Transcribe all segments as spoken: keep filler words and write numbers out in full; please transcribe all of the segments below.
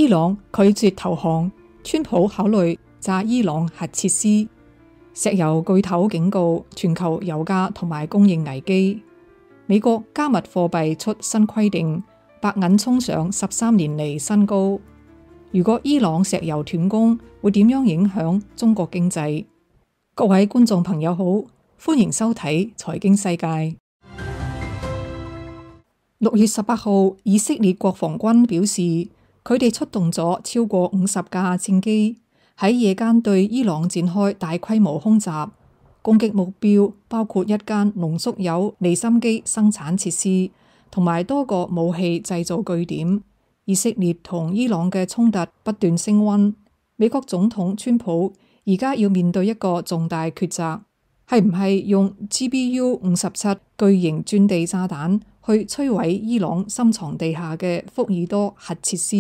伊朗拒絕投降，川普考慮炸伊朗核設施。石油巨頭警告全球油價同埋供應危機。美國加密貨幣出新規定，白銀衝上十三年嚟新高。如果伊朗石油斷供，會點樣影響中國經濟？各位觀眾朋友好，歡迎收睇財經世界。六月十八號，以色列國防軍表示，佢哋出動咗超過五十架戰機，喺夜間對伊朗展開大規模空襲，攻擊目標包括一間濃縮鈾離心機生產設施，同埋多個武器製造據點。以色列同伊朗嘅衝突不斷升溫，美國總統川普而家要面對一個重大抉擇，係唔係用 G B U 五十七巨型鑽地炸彈去摧毀伊朗深藏地下嘅福爾多核設施？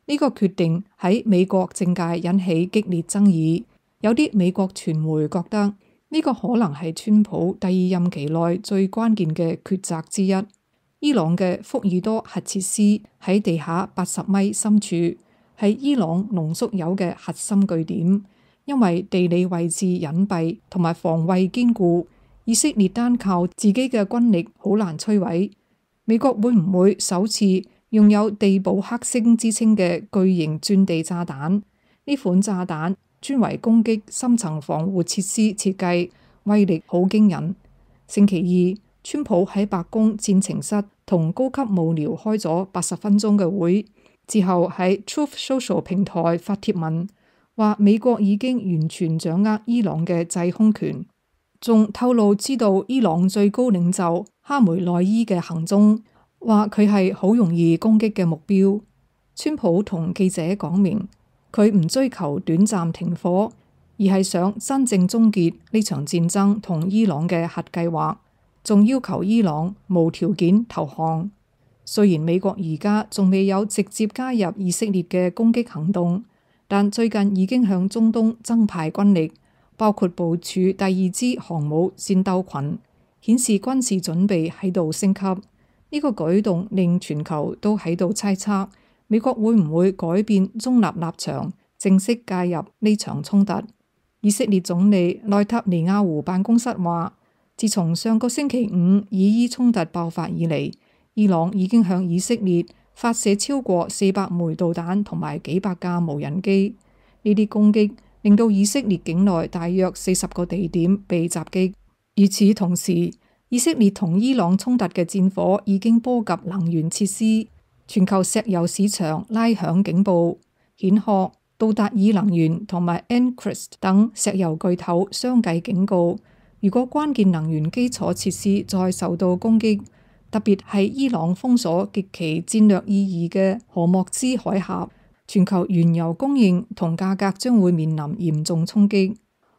呢、這個決定喺美國政界引起激烈爭議，有啲美國傳媒覺得呢、這個可能係川普第二任期內最關鍵嘅抉擇之一。伊朗嘅福爾多核設施喺地下八十米深處，係伊朗濃縮鈾嘅核心據點，因為地理位置隱蔽同埋防衛堅固，以色列單靠自己嘅軍力好難摧毀。美國會唔會首次用有地堡克星之稱嘅巨型鑽地炸彈？呢款炸彈專為攻擊深層防護設施設計，威力好驚人。星期二，川普喺白宮戰情室同高級幕僚開咗八十分鐘嘅會，之後喺 Truth Social 平台發帖文，話美國已經完全掌握伊朗嘅制空權，仲透露知道伊朗最高領袖哈梅內伊嘅行蹤，話佢係好容易攻擊嘅目標。川普同記者講明，佢唔追求短暫停火，而係想真正終結呢場戰爭同伊朗嘅核計劃，仲要求伊朗無條件投降。雖然美國而家仲未有直接加入以色列嘅攻擊行動，但最近已經向中東增派軍力，包括部署第二支航母戰鬥群，顯示軍事準備喺度升級。呢個舉動令全球都喺度猜測，美國會唔會改變中立立場，正式介入呢場衝突。以色列總理內塔尼亞胡辦公室話，自從上個星期五以伊衝突爆發以嚟，伊朗已經向以色列發射超過四百枚導彈同埋幾百架無人機。呢啲攻擊令到以色列境內大約四十個地點被襲擊。與此同時，以色列同伊朗衝突嘅戰火已經波及能源設施，全球石油市場拉響警報。蜆殼、道達爾能源同埋 Encrist 等石油巨頭相繼警告，如果關鍵能源基礎設施再受到攻擊，特別係伊朗封鎖極其戰略意義嘅荷莫茲海峽，全球原油供應同價格將會面臨嚴重衝擊。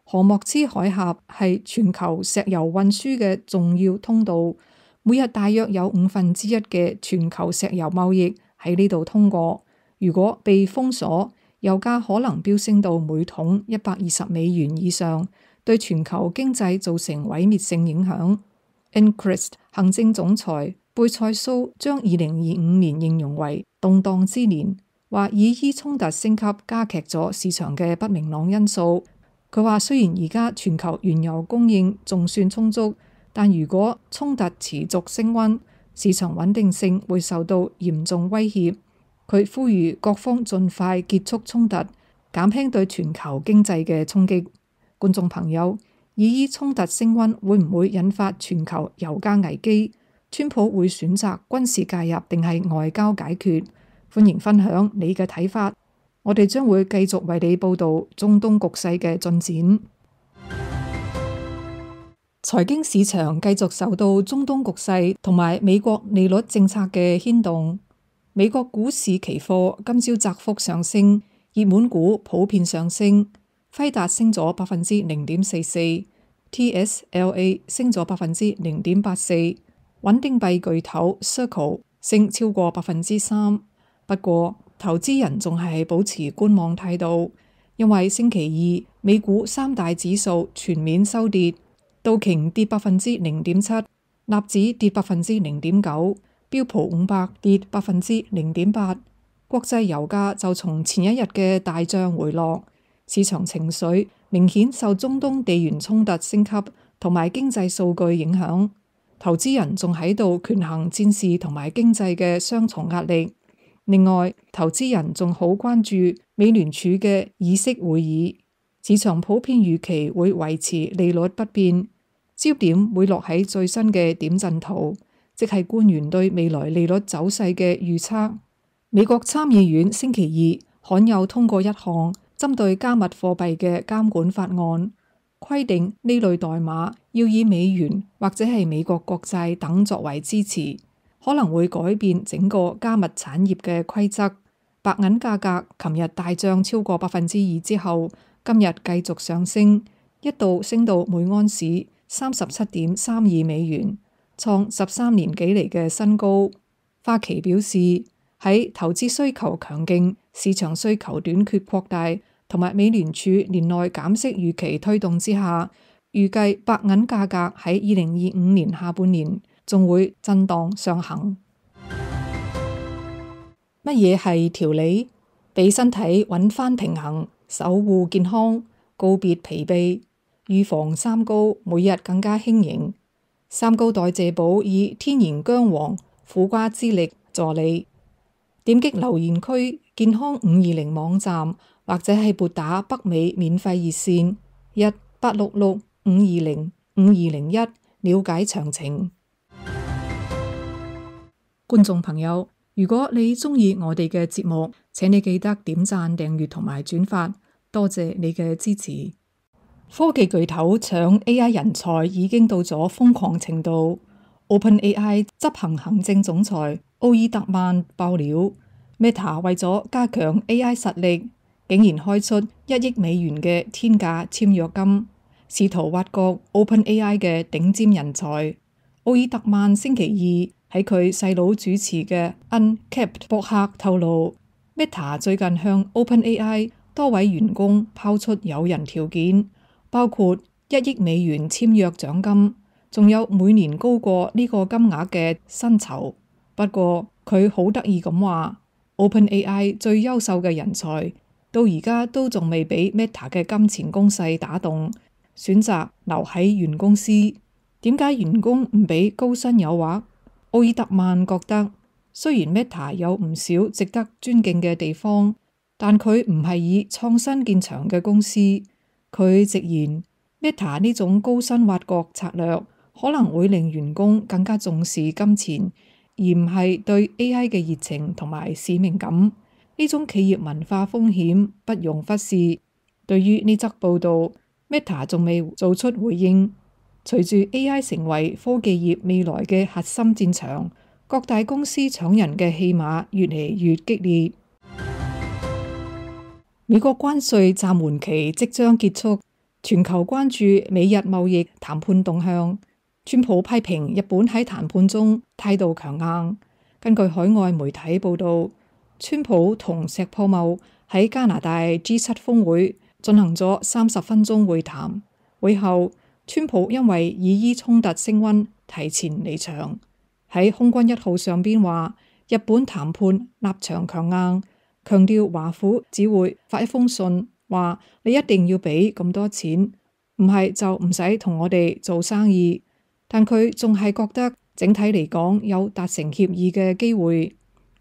荷莫茲海峽係全球石油運輸嘅重要通道，每日大約有五分之一嘅全球石油貿易喺呢度通過。如果被封鎖，油價可能飆升到每桶一百二十美元以上，對全球經濟造成毀滅性影響。Encrist 行政總裁貝塞蘇將二零二五年形容為動盪之年，話以伊衝突升級加劇咗市場嘅不明朗因素。佢話雖然而家全球原油供應仲算充足，但如果衝突持續升溫，市場穩定性會受到嚴重威脅。佢呼籲各方盡快結束衝突，減輕對全球經濟嘅衝擊。觀眾朋友，以伊衝突升溫會唔會引發全球油價危機？川普會選擇軍事介入定係外交解決？歡迎分享你嘅睇法。我哋將會繼續為你報道中東局勢嘅進展。財經市場繼續受到中東局勢同埋美國利率政策嘅牽動。美國股市期貨今朝窄幅上升，熱門股普遍上升。輝達升咗百分之零點四四 ，T S L A 升咗百分之零點八四，穩定幣巨頭 Circle 升超過百分之三。不過，投資人仲係保持觀望態度，因為星期二美股三大指數全面收跌，道瓊跌百分之零點七，納指跌百分之零點九，標普五百跌百分之零點八。國際油價就從前一日嘅大漲回落，市場情緒明顯受中東地緣衝突升級同埋經濟數據影響，投資人仲喺度權衡戰事同埋經濟嘅雙重壓力。另外，投資人仲好關注美聯儲嘅議息會議，市場普遍預期會維持利率不變，焦點會落喺最新嘅點陣圖，即係官員對未來利率走勢嘅預測。美國參議院星期二罕有通過一項針對加密貨幣嘅監管法案，規定呢類代碼要以美元或者係美國國債等作為支持，可能會改變整個加密產業嘅規則。白銀價格琴日大漲超過百分之二之後，今日繼續上升，一度升到每安士三十七點三二美元，創十三年幾嚟嘅新高。花旗表示，喺投資需求強勁、市場需求短缺擴大同埋美聯儲年內減息預期推動之下，預計白銀價格喺二零二五年下半年仲會震盪上行。乜嘢係調理？俾身體揾返平衡，守護健康，告別疲憊，預防三高，每日更加輕盈。三高代謝寶以天然薑黃、苦瓜之力助你。點擊留言區健康五二零網站，或者係撥打北美免費熱線一八六六五二零五二零一了解詳情。觀眾朋友，如果你鍾意我哋嘅節目，請你記得點讚、訂閱同埋轉發，多謝你嘅支持。科技巨頭搶 A I 人才已經到咗瘋狂程度。OpenAI 執行行政總裁奧爾特曼爆料 ，Meta 為咗加強 A I 實力，竟然開出一億美元嘅天價簽約金，試圖挖角 OpenAI 嘅頂尖人才。奧爾特曼星期二喺佢細佬主持嘅 Uncapped 博客透露 ，Meta 最近向 OpenAI 多位員工拋出誘人條件，包括一億美元簽約獎金，仲有每年高過呢個金額嘅薪酬。不過佢好得意咁話 ，OpenAI 最優秀嘅人才到而家都仲未俾 Meta 嘅金錢攻勢打動，選擇留喺原公司。點解員工唔俾高薪誘惑？奧爾特曼覺得，雖然 Meta 有唔少值得尊敬嘅地方，但佢唔係以創新見長嘅公司。佢直言 Meta 呢種高薪挖角策略可能會令員工更加重視金錢，而唔係對 A I 嘅熱情同埋使命感。呢種企業文化風險不容忽視。對於呢則報道 Meta 仲未做出回應。隨住 A I 成為科技業未來嘅核心戰場，各大公司搶人嘅戲碼越嚟越激烈。美國關稅暫緩期即將結束，全球關注美日貿易談判動向。川普批評日本喺談判中態度強硬。根據海外媒體報道，川普同石破茂喺加拿大 G 七 峰會進行咗三十分鐘會談，會後川普因為以伊衝突升溫，提前離場。喺空軍一號上邊話，日本談判立場強硬，強調華府只會發一封信，話你一定要俾咁多錢，唔係就唔使同我哋做生意。但佢仲係覺得整體嚟講有達成協議嘅機會。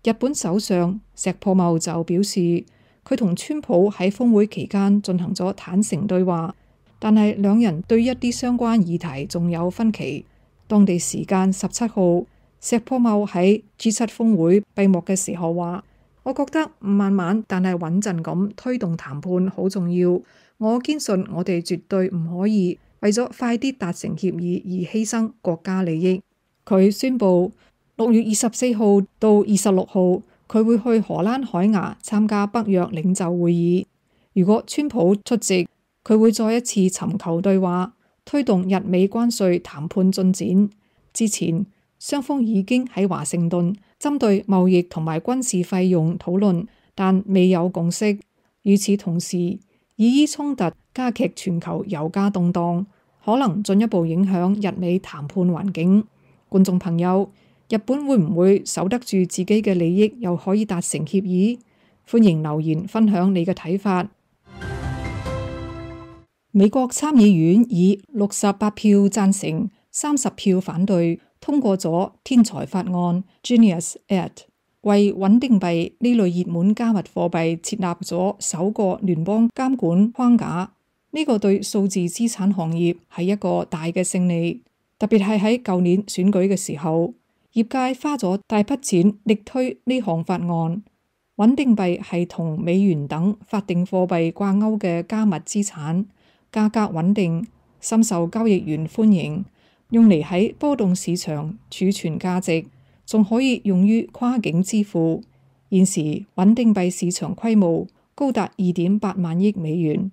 日本首相石破茂就表示，佢同川普喺峰會期間進行咗坦誠對話。但係兩人對一啲相關議題仲有分歧。當地時間十七號，石破茂喺 G 七 峰會閉幕嘅時候話：我覺得慢慢但係穩陣咁推動談判好重要。我堅信我哋絕對唔可以為咗快啲達成協議而犧牲國家利益。佢宣布六月二十四號到二十六號，佢會去荷蘭海牙參加北約領袖會議。如果川普出席，佢會再一次尋求對話，推動日美關稅談判進展。之前雙方已經喺華盛頓針對貿易同埋軍事費用討論，但未有共識。與此同時，以伊衝突加劇全球油價動盪，可能進一步影響日美談判環境。觀眾朋友，日本會唔會守得住自己嘅利益，又可以達成協議？歡迎留言分享你嘅睇法。美國參議院以六十八票贊成、三十票反對通過咗天才法案 Genius Act， 為穩定幣呢類熱門加密貨幣設立咗首個聯邦監管框架。呢個對數字資產行業係一個大嘅勝利，特別係喺舊年選舉嘅時候，業界花咗大筆錢力推呢項法案。穩定幣係同美元等法定貨幣掛鈎嘅加密資產，價格穩定，深受交易員歡迎，用嚟喺波動市場儲存價值，仲可以用於跨境支付。現時穩定幣市場規模高達二點八萬億美元。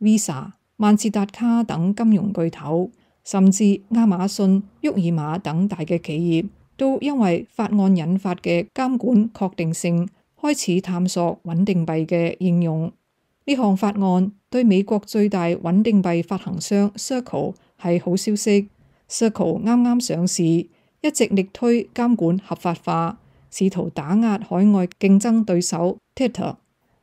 Visa、萬事達卡等金融巨頭，甚至亞馬遜、沃爾瑪等大嘅企業，都因為法案引發嘅監管確定性，開始探索穩定幣嘅應用。呢項法案對美國最大穩定幣發行商 Circle 係好消息。Circle 啱啱上市，一直力推監管合法化，試圖打壓海外競爭對手 Tether。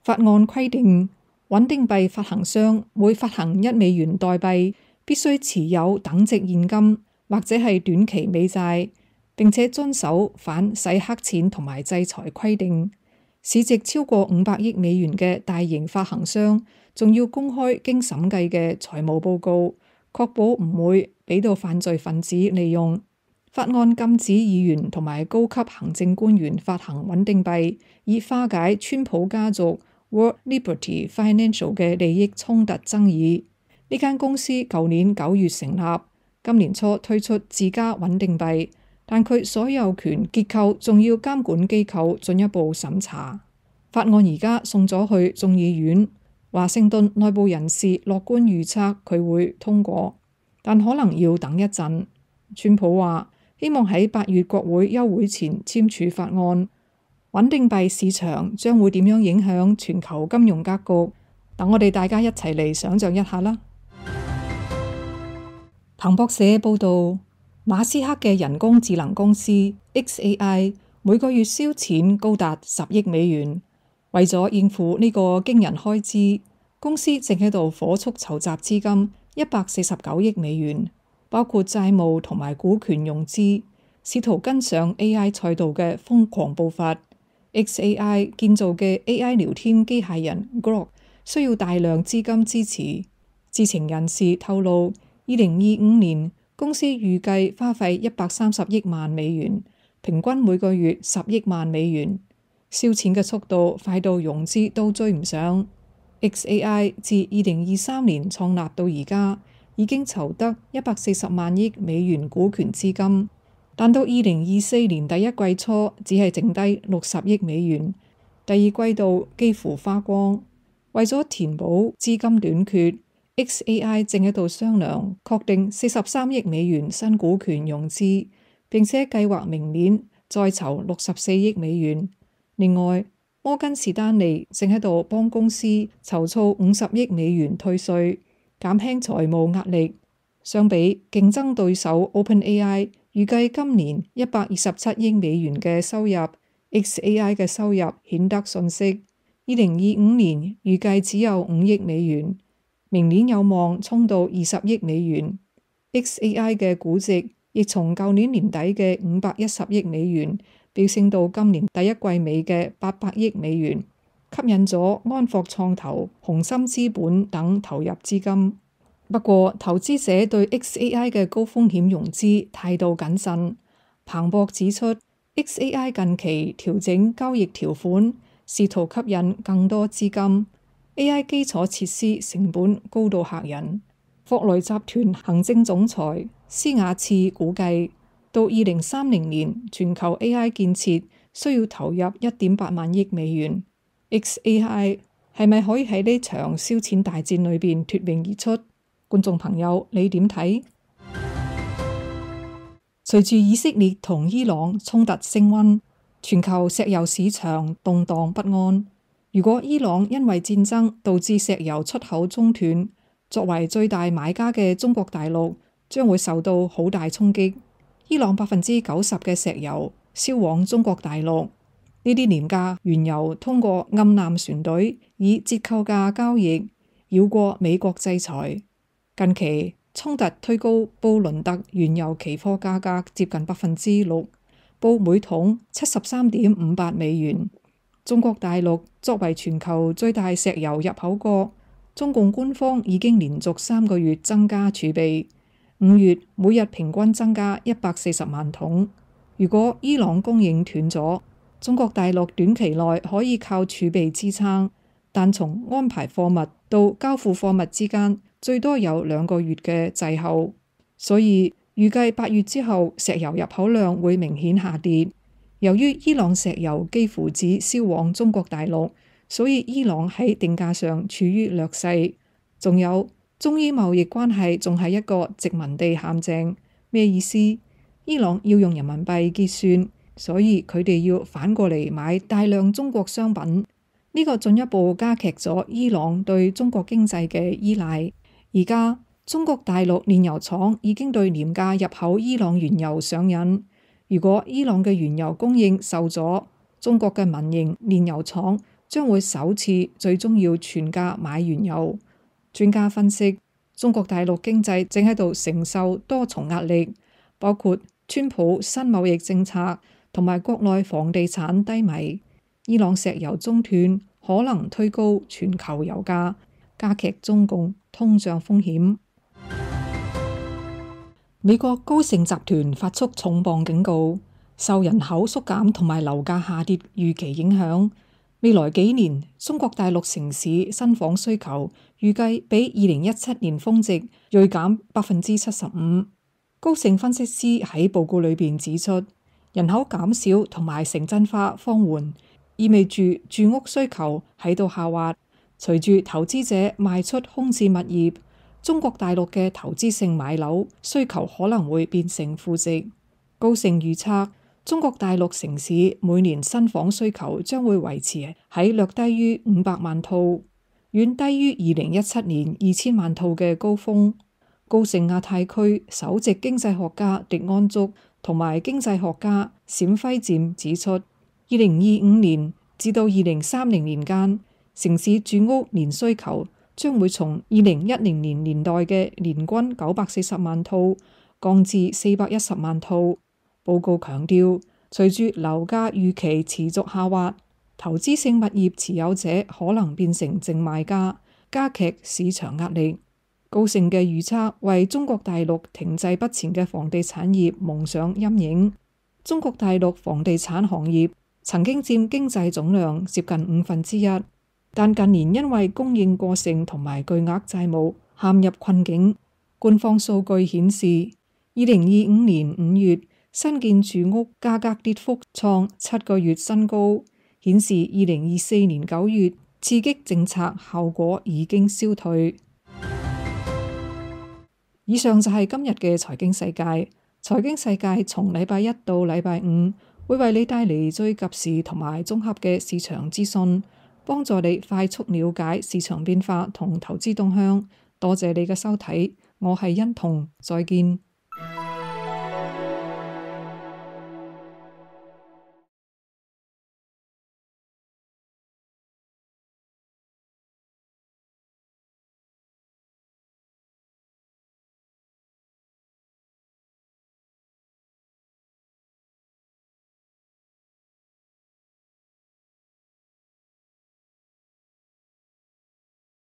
法案規定，穩定幣發行商每發行一美元代幣，必須持有等值現金或者係短期美債，並且遵守反洗黑錢同埋制裁規定。市值超過五百億美元嘅大型發行商，仲要公開經審計嘅財務報告，確保唔會俾到犯罪分子利用。法案禁止議員同埋高級行政官員發行穩定幣，以化解川普家族 World Liberty Financial 嘅利益衝突爭議。呢間公司舊年九月成立，今年初推出自家穩定幣。但佢所有權結構仲要監管機構進一步審查。法案而家送咗去眾議院，華盛頓內部人士樂觀預測佢會通過，但可能要等一陣。川普話希望喺八月國會休會前簽署法案。穩定幣市場將會點樣影響全球金融格局？等我哋大家一齊嚟想象一下啦。彭博社報道，馬斯克嘅人工智能公司 X A I 每個月燒錢高達十億美元，為咗應付呢個驚人開支，公司正喺度火速籌集資金一百四十九億美元，包括債務同埋股權融資，試圖跟上 A I 賽道嘅瘋狂步伐。X A I 建造嘅 A I 聊天機械人 Grok 需要大量資金支持。知情人士透露，二零二五年公司預計花費一百三十億萬美元，平均每個月十億萬美元。燒錢嘅速度快到融資都追唔上。X A I 自二零二三年創立到而家，已經籌得一百四十萬億美元股權資金，但到二零二四年第一季初只係剩低六十億美元，第二季度幾乎花光。為咗填補資金短缺，X A I 正喺度商量確定四十三億美元新股權融資，並且計劃明年再籌六十四億美元。另外，摩根士丹利正喺度幫公司籌措五十億美元退稅，減輕財務壓力。相比競爭對手 OpenAI 預計今年一百二十七億美元嘅收入， X A I 嘅收入顯得遜色。二零二五年預計只有五億美元，明年有望衝到二十億美元。X A I 嘅估值亦從舊年年底嘅五百一十億美元飆升到今年第一季尾嘅八百億美元，吸引咗安霍創投、紅杉資本等投入資金。不過，投資者對 X A I 嘅高風險融資態度謹慎。彭博指出， X A I 近期調整交易條款，試圖吸引更多資金。A I 基礎設施成本高到嚇人。霍雷集團行政總裁施亞次估計，到二零三零年，全球 A I 建設需要投入一點八萬億美元。X A I 係咪可以喺呢場燒錢大戰裏邊脫穎而出？觀眾朋友，你點睇？隨住以色列同伊朗衝突升溫，全球石油市場動盪不安。如果伊朗因為戰爭導致石油出口中斷，作為最大買家嘅中國大陸將會受到好大衝擊。伊朗百分之九十嘅石油銷往中國大陸，呢啲廉價原油通過暗艦船隊以折扣價交易，繞過美國制裁。近期衝突推高布倫特原油期貨價格接近百分之六，報每桶七十三點五八美元。中國大陸作為全球最大石油入口國，中共官方已經連續三個月增加儲備，五月每日平均增加一百四十萬桶。如果伊朗供應斷咗，中國大陸短期內可以靠儲備支撐，但從安排貨物到交付貨物之間最多有兩個月嘅滯後，所以預計八月之後石油入口量會明顯下跌。由於伊朗石油幾乎只銷往中國大陸，所以伊朗喺定價上處於劣勢。仲有中伊貿易關係仲係一個殖民地陷阱，咩意思？伊朗要用人民幣結算，所以佢哋要反過嚟買大量中國商品，呢個進一步加劇咗伊朗對中國經濟嘅依賴。而家中國大陸煉油廠已經對廉價入口伊朗原油上癮。如果伊朗嘅原油供應受阻，中國嘅民營煉油廠將會首次最終要全價買原油。專家分析，中國大陸經濟正喺度承受多重壓力，包括川普新貿易政策同埋國內房地產低迷。伊朗石油中斷可能推高全球油價，加劇中共通脹風險。美國高盛集團發出重磅警告，受人口縮減同埋樓價下跌預期影響，未來幾年中國大陸城市新房需求預計比二零一七年峰值銳減百分之七十五。高盛分析師喺報告裏邊指出，人口減少同埋城鎮化放緩，意味住住屋需求喺度下滑。隨住投資者賣出空置物業，中國大陸嘅投資性買樓需求可能會變成負值。高盛預測，中國大陸城市每年新房需求將會維持喺略低於五百萬套，遠低於二零一七年二千萬套嘅高峰。高盛亞太區首席經濟學家狄安竹同埋經濟學家冼輝漸指出，二零二五年至到二零三零年間，城市住屋年需求將會從二零一零年年代嘅年均九百四十萬套降至四百一十萬套。報告強調，隨住樓價預期持續下滑，投資性物業持有者可能變成淨賣家，加劇市場壓力。高盛嘅預測為中國大陸停滯不前嘅房地產業蒙上陰影。中國大陸房地產行業曾經佔經濟總量接近五分之一，但近年因為供應過剩同埋巨額債務陷入困境。官方數據顯示，二零二五年五月新建住屋價格跌幅創七個月新高，顯示二零二四年九月刺激政策效果已經消退。以上就係今日嘅財經世界。財經世界從禮拜一到禮拜五會為你帶嚟最及時同埋綜合嘅市場資訊，幫助你快速了解市場變化同投資動向。多謝你嘅收睇，我係欣彤，再見。